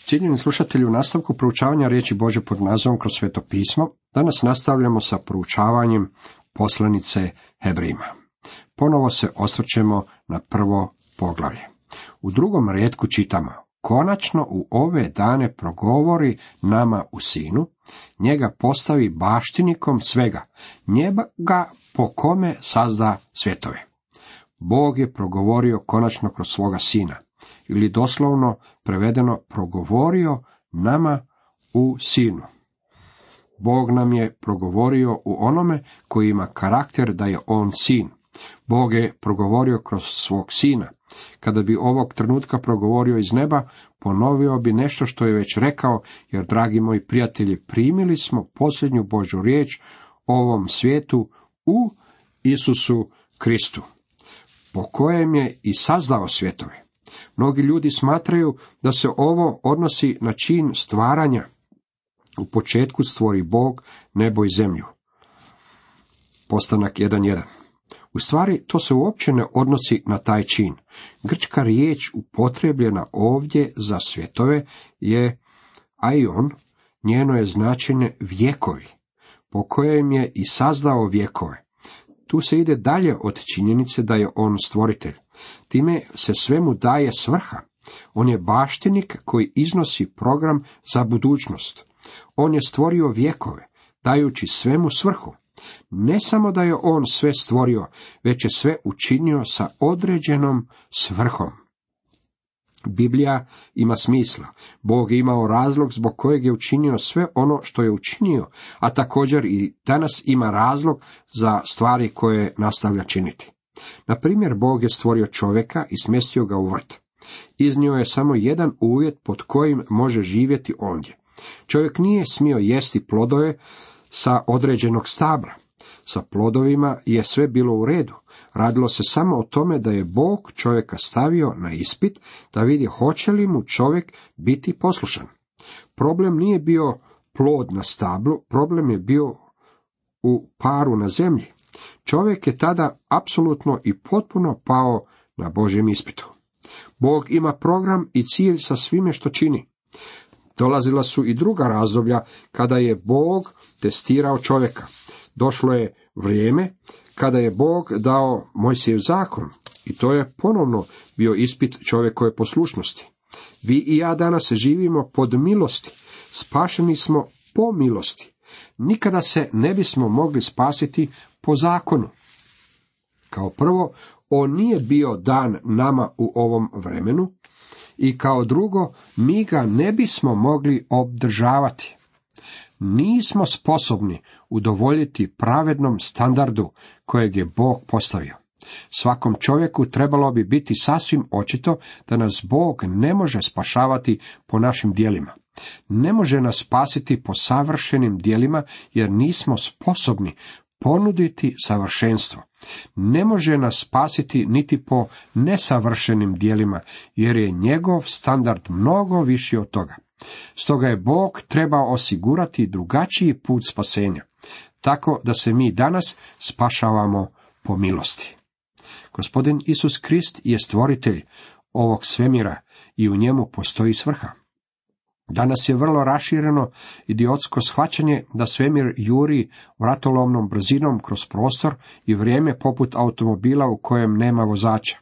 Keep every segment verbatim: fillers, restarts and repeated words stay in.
Cijenjeni slušatelji, u nastavku proučavanja riječi Božje pod nazivom Kroz sveto pismo, danas nastavljamo sa proučavanjem poslanice Hebrejima. Ponovo se osvrćemo na prvo poglavlje. U drugom rijetku čitamo: konačno u ove dane progovori nama u sinu, njega postavi baštinikom svega, njega po kome sazda svjetove. Bog je progovorio konačno kroz svoga sina, ili doslovno prevedeno progovorio nama u sinu. Bog nam je progovorio u onome koji ima karakter da je on sin. Bog je progovorio kroz svog sina. Kada bi ovog trenutka progovorio iz neba, ponovio bi nešto što je već rekao, jer, dragi moji prijatelji, primili smo posljednju Božju riječ o ovom svijetu u Isusu Kristu, po kojem je i sazdao svjetove. Mnogi ljudi smatraju da se ovo odnosi na čin stvaranja. U početku stvori Bog nebo i zemlju. Postanak jedan jedan. U stvari, to se uopće ne odnosi na taj čin. Grčka riječ upotrebljena ovdje za svjetove je aion, njeno je značenje vjekovi, po kojem je i sazdao vjekove. Tu se ide dalje od činjenice da je on stvoritelj. Time se svemu daje svrha. On je baštinik koji iznosi program za budućnost. On je stvorio vjekove, dajući svemu svrhu. Ne samo da je on sve stvorio, već je sve učinio sa određenom svrhom. Biblija ima smisla. Bog je imao razlog zbog kojeg je učinio sve ono što je učinio, a također i danas ima razlog za stvari koje nastavlja činiti. Na primjer, Bog je stvorio čovjeka i smjestio ga u vrt. Iznio je samo jedan uvjet pod kojim može živjeti ondje. Čovjek nije smio jesti plodove sa određenog stabla. Sa plodovima je sve bilo u redu. Radilo se samo o tome da je Bog čovjeka stavio na ispit da vidi hoće li mu čovjek biti poslušan. Problem nije bio plod na stablu, problem je bio u paru na zemlji. Čovjek je tada apsolutno i potpuno pao na Božjem ispitu. Bog ima program i cilj sa svime što čini. Dolazila su i druga razdoblja kada je Bog testirao čovjeka. Došlo je vrijeme kada je Bog dao Mojsijev zakon i to je ponovno bio ispit čovjekove poslušnosti. Vi i ja danas živimo pod milosti, spašeni smo po milosti. Nikada se ne bismo mogli spasiti po zakonu. Kao prvo, on nije bio dan nama u ovom vremenu i kao drugo, mi ga ne bismo mogli obdržavati. Nismo sposobni udovoljiti pravednom standardu kojeg je Bog postavio. Svakom čovjeku trebalo bi biti sasvim očito da nas Bog ne može spašavati po našim djelima. Ne može nas spasiti po savršenim djelima jer nismo sposobni ponuditi savršenstvo. Ne može nas spasiti niti po nesavršenim djelima jer je njegov standard mnogo viši od toga. Stoga je Bog trebao osigurati drugačiji put spasenja, tako da se mi danas spašavamo po milosti. Gospodin Isus Krist je stvoritelj ovog svemira i u njemu postoji svrha. Danas je vrlo rašireno idiotsko shvaćanje da svemir juri vratolomnom brzinom kroz prostor i vrijeme poput automobila u kojem nema vozača.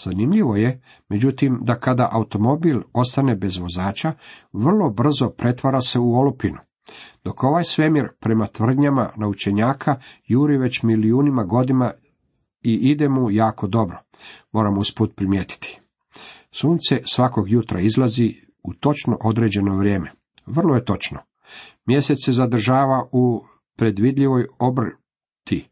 Zanimljivo je, međutim, da kada automobil ostane bez vozača, vrlo brzo pretvara se u olupinu. Dok ovaj svemir, prema tvrdnjama naučenjaka, juri već milijunima godina i ide mu jako dobro, moramo usput primijetiti. Sunce svakog jutra izlazi u točno određeno vrijeme. Vrlo je točno. Mjesec se zadržava u predvidljivoj obrti.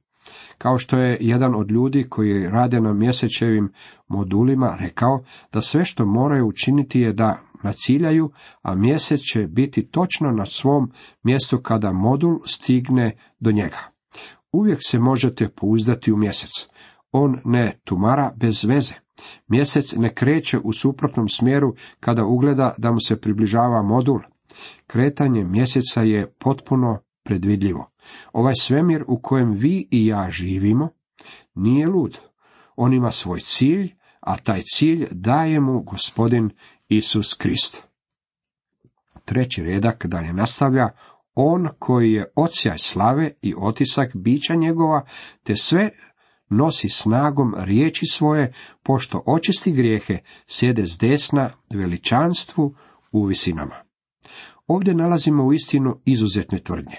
Kao što je jedan od ljudi koji rade na mjesečevim modulima rekao da sve što moraju učiniti je da naciljaju, a mjesec će biti točno na svom mjestu kada modul stigne do njega. Uvijek se možete pouzdati u mjesec. On ne tumara bez veze. Mjesec ne kreće u suprotnom smjeru kada ugleda da mu se približava modul. Kretanje mjeseca je potpuno predvidljivo. Ovaj svemir u kojem vi i ja živimo nije lud. On ima svoj cilj, a taj cilj daje mu Gospodin Isus Krist. treći redak dalje nastavlja: on koji je odsjaj slave i otisak bića njegova, te sve nosi snagom riječi svoje, pošto očisti grijehe, sjede s desna veličanstvu u visinama. Ovdje nalazimo uistinu izuzetne tvrdnje.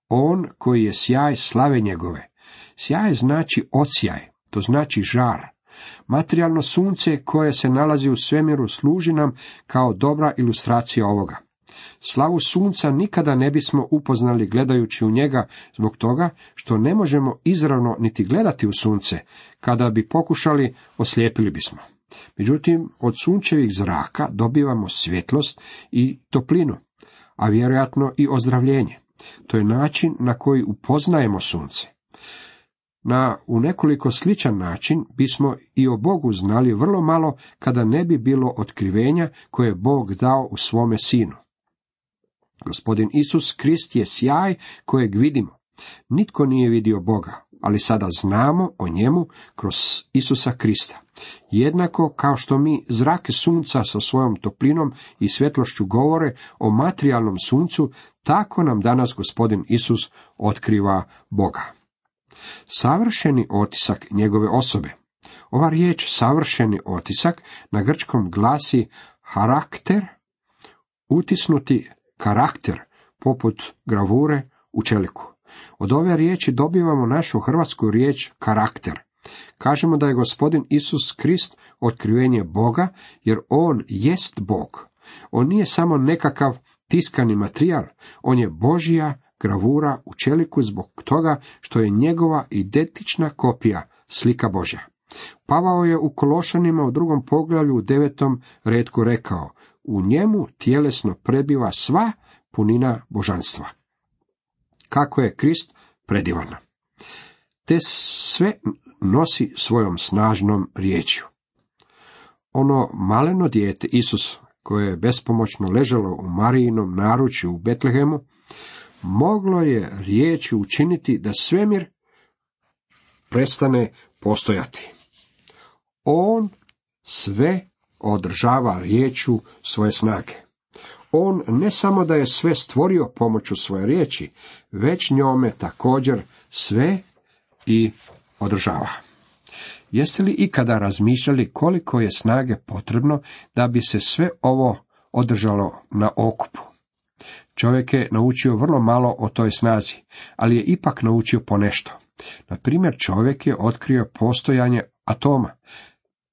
On koji je sjaj slave njegove. Sjaj znači odsjaj, to znači žar. Materijalno sunce koje se nalazi u svemiru služi nam kao dobra ilustracija ovoga. Slavu sunca nikada ne bismo upoznali gledajući u njega, zbog toga što ne možemo izravno niti gledati u sunce. Kada bi pokušali, oslijepili bismo. Međutim, od sunčevih zraka dobivamo svjetlost i toplinu, a vjerojatno i ozdravljenje. To je način na koji upoznajemo sunce. Na u nekoliko sličan način bismo i o Bogu znali vrlo malo kada ne bi bilo otkrivenja koje je Bog dao u svome Sinu. Gospodin Isus Krist je sjaj kojeg vidimo. Nitko nije vidio Boga, ali sada znamo o njemu kroz Isusa Krista. Jednako kao što mi zrake sunca sa svojom toplinom i svjetlošću govore o materijalnom suncu, tako nam danas Gospodin Isus otkriva Boga. Savršeni otisak njegove osobe. Ova riječ savršeni otisak na grčkom glasi harakter, utisnuti karakter, poput gravure u čeliku. Od ove riječi dobivamo našu hrvatsku riječ karakter. Kažemo da je Gospodin Isus Krist otkrivenje Boga, jer on jest Bog. On nije samo nekakav tiskani materijal, on je Božja gravura u čeliku zbog toga što je njegova identična kopija, slika Božja. Pavao je u Kološanima u drugom poglavlju u devetom retku rekao: u njemu tjelesno prebiva sva punina božanstva. Kako je Krist predivan. Te sve nosi svojom snažnom riječju. Ono maleno dijete Isus, koje je bespomoćno ležalo u Marijinom naručju u Betlehemu, moglo je riječju učiniti da svemir prestane postojati. On sve održava riječju svoje snage. On ne samo da je sve stvorio pomoću svoje riječi, već njome također sve i održava. Jeste li ikada razmišljali koliko je snage potrebno da bi se sve ovo održalo na okupu? Čovjek je naučio vrlo malo o toj snazi, ali je ipak naučio ponešto. Na primjer, čovjek je otkrio postojanje atoma,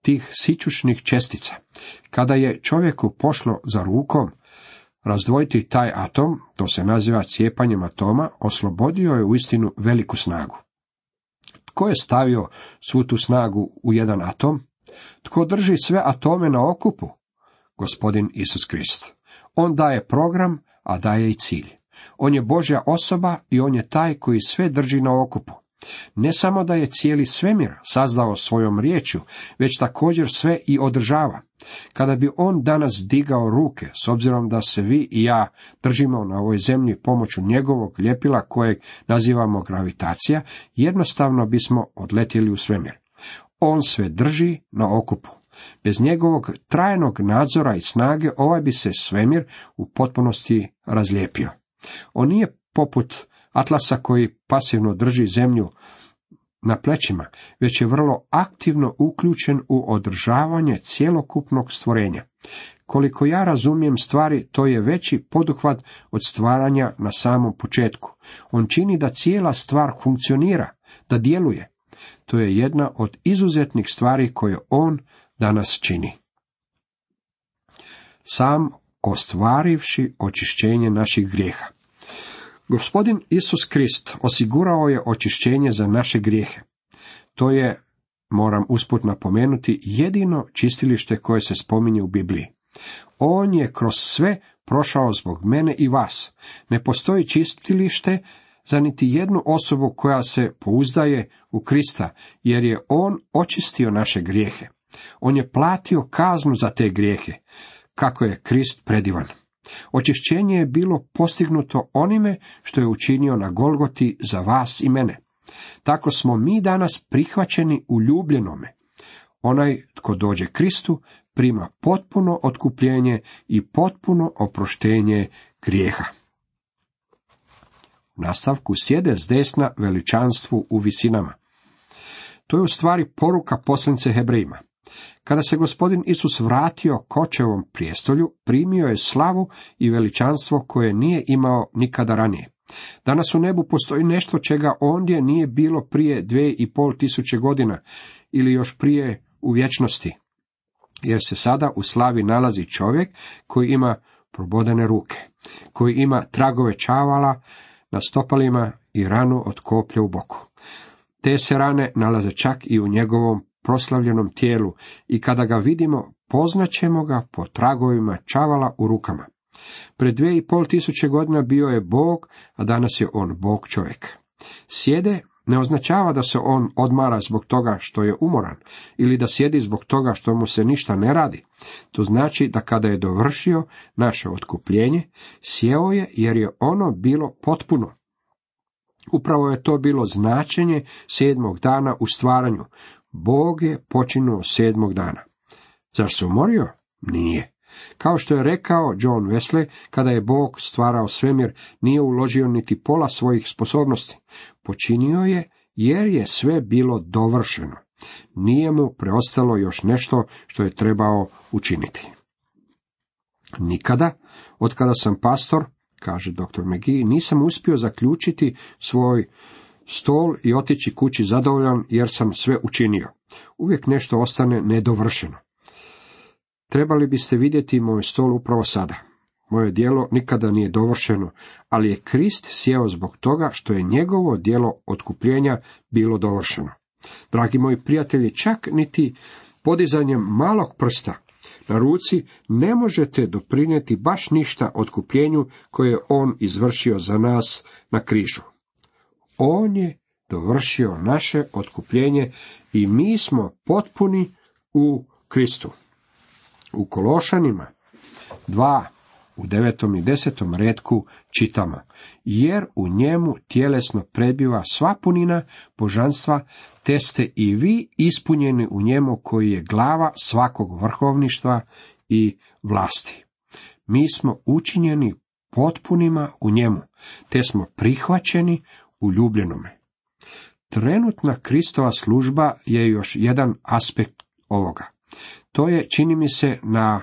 tih sićušnih čestica. Kada je čovjeku pošlo za rukom razdvojiti taj atom, to se naziva cijepanjem atoma, oslobodio je uistinu veliku snagu. Tko je stavio svu tu snagu u jedan atom? Tko drži sve atome na okupu? Gospodin Isus Krist. On daje program, a daje i cilj. On je Božja osoba i on je taj koji sve drži na okupu. Ne samo da je cijeli svemir sazdao svojom riječju, već također sve i održava. Kada bi on danas digao ruke, s obzirom da se vi i ja držimo na ovoj zemlji pomoću njegovog ljepila kojeg nazivamo gravitacija, jednostavno bismo odletjeli u svemir. On sve drži na okupu. Bez njegovog trajnog nadzora i snage ovaj bi se svemir u potpunosti razlijepio. On nije poput Atlasa koji pasivno drži zemlju na plećima, već je vrlo aktivno uključen u održavanje cjelokupnog stvorenja. Koliko ja razumijem stvari, to je veći poduhvat od stvaranja na samom početku. On čini da cijela stvar funkcionira, da djeluje. To je jedna od izuzetnih stvari koje on danas čini. Sam ostvarivši očišćenje naših grijeha. Gospodin Isus Krist osigurao je očišćenje za naše grijehe. To je, moram usput napomenuti, jedino čistilište koje se spominje u Bibliji. On je kroz sve prošao zbog mene i vas. Ne postoji čistilište za niti jednu osobu koja se pouzdaje u Krista, jer je on očistio naše grijehe. On je platio kaznu za te grijehe. Kako je Krist predivan. Očišćenje je bilo postignuto onime što je učinio na Golgoti za vas i mene. Tako smo mi danas prihvaćeni u ljubljenome. Onaj tko dođe Kristu, prima potpuno otkupljenje i potpuno oproštenje grijeha. U nastavku sjede s desna veličanstvu u visinama. To je u stvari poruka poslanice Hebrejima. Kada se gospodin Isus vratio k očevom prijestolju, primio je slavu i veličanstvo koje nije imao nikada ranije. Danas u nebu postoji nešto čega ondje nije bilo prije dvije i pol tisuće godina ili još prije u vječnosti, jer se sada u slavi nalazi čovjek koji ima probodene ruke, koji ima tragove čavala na stopalima i ranu od koplja u boku. Te se rane nalaze čak i u njegovom proslavljenom tijelu i kada ga vidimo, poznaćemo ga po tragovima čavala u rukama. Pred dvije i pol tisuće godina bio je Bog, a danas je on Bog čovjek. Sjede ne označava da se on odmara zbog toga što je umoran ili da sjedi zbog toga što mu se ništa ne radi. To znači da kada je dovršio naše otkupljenje, sjeo je jer je ono bilo potpuno. Upravo je to bilo značenje sedmog dana u stvaranju. Bog je počinuo sedmog dana. Zar se umorio? Nije. Kao što je rekao John Wesley, kada je Bog stvarao svemir, nije uložio niti pola svojih sposobnosti. Počinio je jer je sve bilo dovršeno. Nije mu preostalo još nešto što je trebao učiniti. Nikada, od kada sam pastor, kaže doktor McGee, nisam uspio zaključiti svoj stol i otići kući zadovoljan jer sam sve učinio. Uvijek nešto ostane nedovršeno. Trebali biste vidjeti moj stol upravo sada. Moje djelo nikada nije dovršeno, ali je Krist sjeo zbog toga što je njegovo djelo otkupljenja bilo dovršeno. Dragi moji prijatelji, čak niti podizanjem malog prsta na ruci ne možete doprinijeti baš ništa otkupljenju koje je on izvršio za nas na križu. On je dovršio naše otkupljenje i mi smo potpuni u Kristu. U Kološanima dva, u devetom i desetom retku čitamo, jer u njemu tjelesno prebiva sva punina božanstva, te ste i vi ispunjeni u njemu koji je glava svakog vrhovništva i vlasti. Mi smo učinjeni potpunima u njemu, te smo prihvaćeni u ljubljenome. Trenutna Kristova služba je još jedan aspekt ovoga. To je, čini mi se, na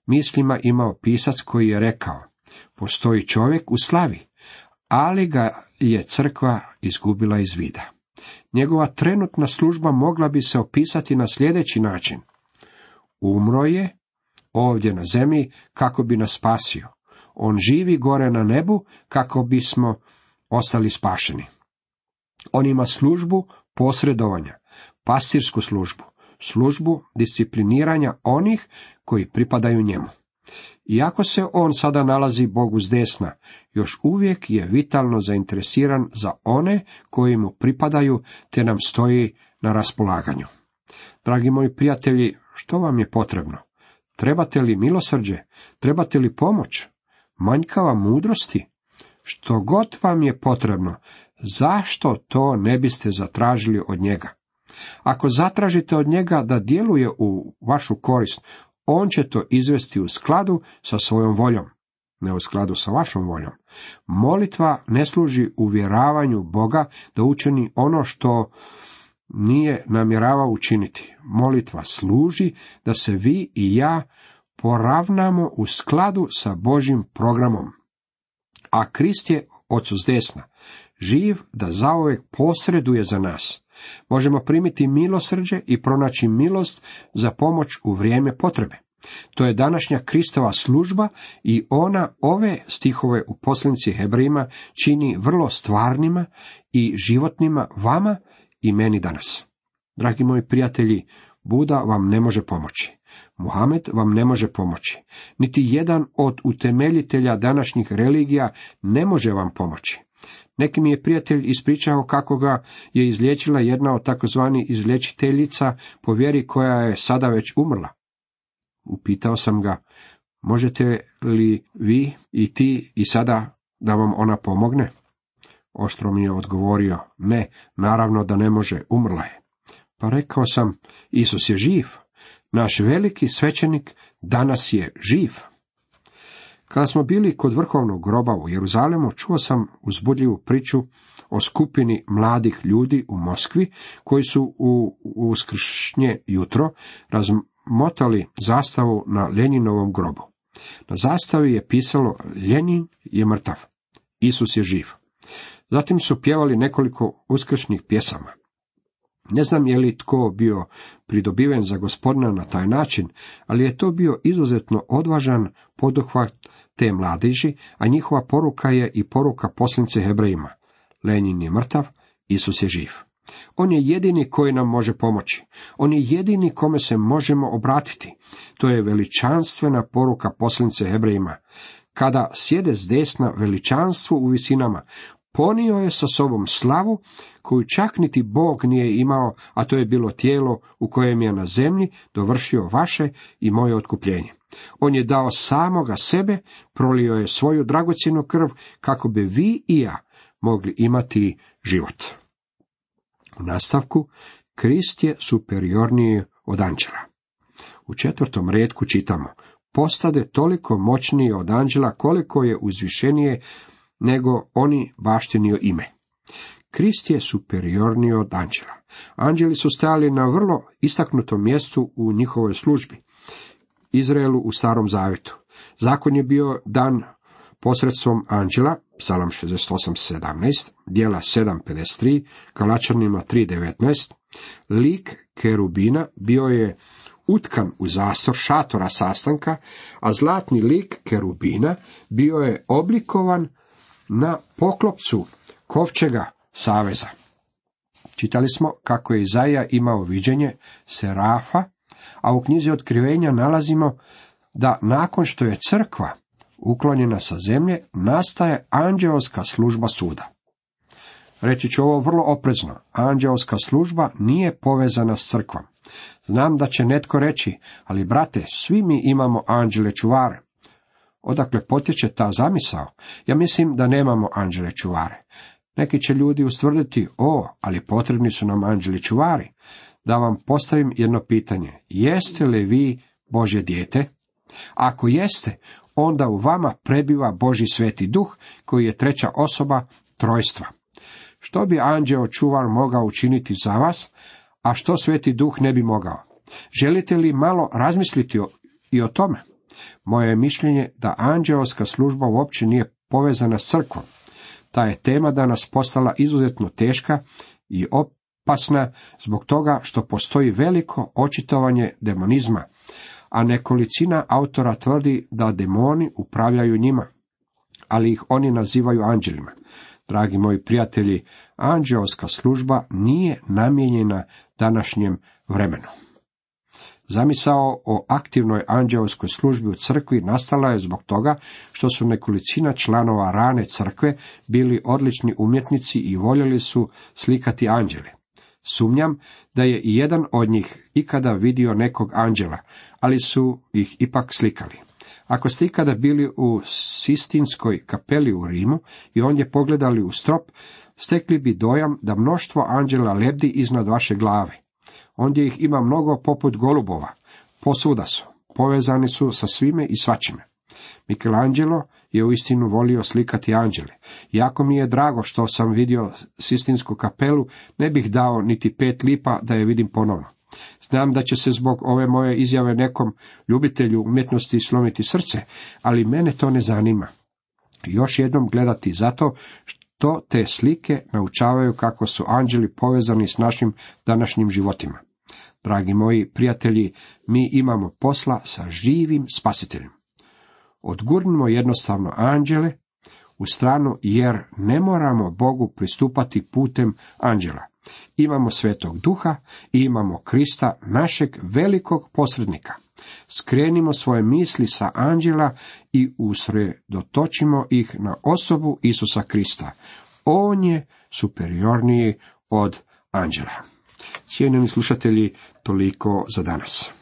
mislima imao pisac koji je rekao, postoji čovjek u slavi, ali ga je crkva izgubila iz vida. Njegova trenutna služba mogla bi se opisati na sljedeći način. Umro je ovdje na zemlji kako bi nas spasio. On živi gore na nebu kako bismo ostali spašeni. On ima službu posredovanja, pastirsku službu, službu discipliniranja onih koji pripadaju njemu. Iako se on sada nalazi Bogu s desna, još uvijek je vitalno zainteresiran za one koji mu pripadaju, te nam stoji na raspolaganju. Dragi moji prijatelji, što vam je potrebno? Trebate li milosrđe? Trebate li pomoć? Manjkava mudrosti? Što god vam je potrebno, zašto to ne biste zatražili od njega? Ako zatražite od njega da djeluje u vašu korist, on će to izvesti u skladu sa svojom voljom, ne u skladu sa vašom voljom. Molitva ne služi uvjeravanju Boga da učini ono što nije namjeravao učiniti. Molitva služi da se vi i ja poravnamo u skladu sa Božjim programom. A Krist je Ocu s desna, živ da zauvijek posreduje za nas. Možemo primiti milosrđe i pronaći milost za pomoć u vrijeme potrebe. To je današnja Kristova služba i ona ove stihove u poslanici Hebrejima čini vrlo stvarnima i životnima vama i meni danas. Dragi moji prijatelji, Buda vam ne može pomoći. Muhamed vam ne može pomoći. Niti jedan od utemeljitelja današnjih religija ne može vam pomoći. Neki mi je prijatelj ispričao kako ga je izliječila jedna od takozvani izliječiteljica po vjeri koja je sada već umrla. Upitao sam ga, možete li vi i ti i sada da vam ona pomogne? Oštro mi je odgovorio, ne, naravno da ne može, umrla je. Pa rekao sam, Isus je živ. Naš veliki svećenik danas je živ. Kada smo bili kod vrhovnog groba u Jeruzalemu, čuo sam uzbudljivu priču o skupini mladih ljudi u Moskvi, koji su u uskršnje jutro razmotali zastavu na Ljenjinovom grobu. Na zastavi je pisalo: Ljenjin je mrtav, Isus je živ. Zatim su pjevali nekoliko uskršnjih pjesama. Ne znam je li tko bio pridobiven za Gospodina na taj način, ali je to bio izuzetno odvažan poduhvat te mladeži, a njihova poruka je i poruka poslanice Hebrejima. Ljenjin je mrtav, Isus je živ. On je jedini koji nam može pomoći. On je jedini kome se možemo obratiti. To je veličanstvena poruka poslanice Hebrejima. Kada sjede s desna veličanstvo u visinama, ponio je sa sobom slavu koju čak niti Bog nije imao, a to je bilo tijelo u kojem je na zemlji dovršio vaše i moje otkupljenje. On je dao samoga sebe, prolio je svoju dragocjenu krv, kako bi vi i ja mogli imati život. U nastavku, Krist je superiorniji od anđela. U četvrtom retku čitamo: postade toliko moćniji od anđela koliko je uzvišenije nego oni baštinio ime. Krist je superiorniji od anđela. Anđeli su stajali na vrlo istaknutom mjestu u njihovoj službi. Izraelu u Starom Zavjetu. Zakon je bio dan posredstvom anđela, Psalam šezdeset osam sedamnaest, Djela sedam pedeset tri, Galačanima tri devetnaest. Lik kerubina bio je utkan u zastor šatora sastanka, a zlatni lik kerubina bio je oblikovan na poklopcu kovčega saveza. Čitali smo kako je Izaija imao viđenje serafa, a u knjizi Otkrivenja nalazimo da nakon što je crkva uklonjena sa zemlje, nastaje anđeoska služba suda. Reći ću ovo vrlo oprezno: anđeoska služba nije povezana s crkvom. Znam da će netko reći: ali brate, svi mi imamo anđele čuvare. Odakle potječe ta zamisao? Ja mislim da nemamo anđele čuvare. Neki će ljudi ustvrditi: o, ali potrebni su nam anđeli čuvari. Da vam postavim jedno pitanje: jeste li vi Božje dijete? Ako jeste, onda u vama prebiva Božji sveti duh, koji je treća osoba trojstva. Što bi anđeo čuvar mogao učiniti za vas, a što sveti duh ne bi mogao? Želite li malo razmisliti o, i o tome? Moje je mišljenje da anđeoska služba uopće nije povezana s crkvom. Ta je tema danas postala izuzetno teška i opasna zbog toga što postoji veliko očitovanje demonizma, a nekolicina autora tvrdi da demoni upravljaju njima, ali ih oni nazivaju anđelima. Dragi moji prijatelji, anđeoska služba nije namijenjena današnjem vremenu. Zamisao o aktivnoj anđeoskoj službi u crkvi nastala je zbog toga što su nekolicina članova rane crkve bili odlični umjetnici i voljeli su slikati anđele. Sumnjam da je i jedan od njih ikada vidio nekog anđela, ali su ih ipak slikali. Ako ste ikada bili u Sistinskoj kapeli u Rimu i ondje pogledali u strop, stekli bi dojam da mnoštvo anđela lebdi iznad vaše glave. Ondje ih ima mnogo poput golubova, posvuda su, povezani su sa svime i svačime. Michelangelo je uistinu volio slikati anđele. Jako mi je drago što sam vidio Sistinsku kapelu, ne bih dao niti pet lipa da je vidim ponovno. Znam da će se zbog ove moje izjave nekom ljubitelju umjetnosti slomiti srce, ali mene to ne zanima. Još jednom gledati zato što te slike naučavaju kako su anđeli povezani s našim današnjim životima. Dragi moji prijatelji, mi imamo posla sa živim spasiteljem. Odgurnimo jednostavno anđele u stranu, jer ne moramo Bogu pristupati putem anđela. Imamo Svetog Duha i imamo Krista, našeg velikog posrednika. Skrenimo svoje misli sa anđela i usredotočimo ih na osobu Isusa Krista. On je superiorniji od anđela. Cijenjeni slušatelji, toliko za danas.